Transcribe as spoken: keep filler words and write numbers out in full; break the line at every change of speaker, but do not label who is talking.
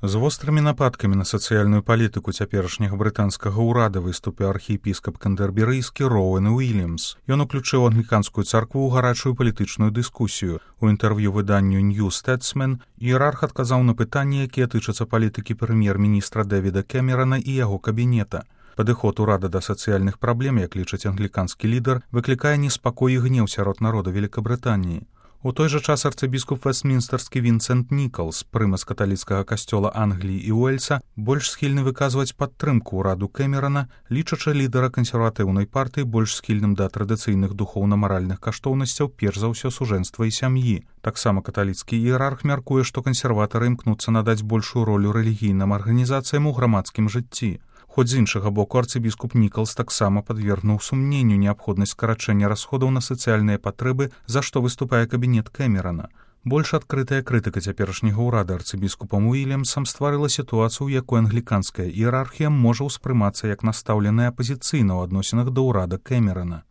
З вострымі нападкамі на сацыяльную палітыку цяперашняга брытанскага ўрада выступіў архіепіскап кандэрберыйскі Роуэн Уільямс. Ён уключыў англіканскую царкву ў гарачую палітычную дыскусію. У інтэрв'ю выданню New Statesman іерарх адказаў на пытанні, якія тычацца палітыкі прэм'ер-міністра Дэвіда Кэмерана і яго кабінета. Падыход урада да сацыяльных праблем, як лічыць англіканскі лідар, выклікае неспакой і гнеў сярод народа Великабрытаніі. У той жа час арцыбіскуп вэстмінстэрскі Вінсент Нікалс, прымас каталіцкага касцёла Англіі і Уэльса, больш схільны выказваць падтрымку ўраду Кэмерана, лічачы лідара кансерватыўнай партыі больш схільным да традыцыйных духоўна-маральных каштоўнасцяў, перш за ўсё сужэнства і сям'і. Таксама каталіцкі іерарх мяркуе, што кансерватары імкнуцца надаць большую ролю рэлігійным арганізацыям у грамадскім жыцці. Хоць з іншага боку арцыбіскуп Нікалс таксама падвергнуў сумненню неабходнасць скарачэння расходаў на сацыяльныя патрэбы, за што выступае кабінет Кэмерана. Больш адкрытая крытыка цяперашняга ўрада арцыбіскупам Уільямсам стварыла сітуацыю, у якой англіканская іерархія можа ўспрымацца як настаўленая апазіцыйна ў адносінах да ўрада Кэмерана.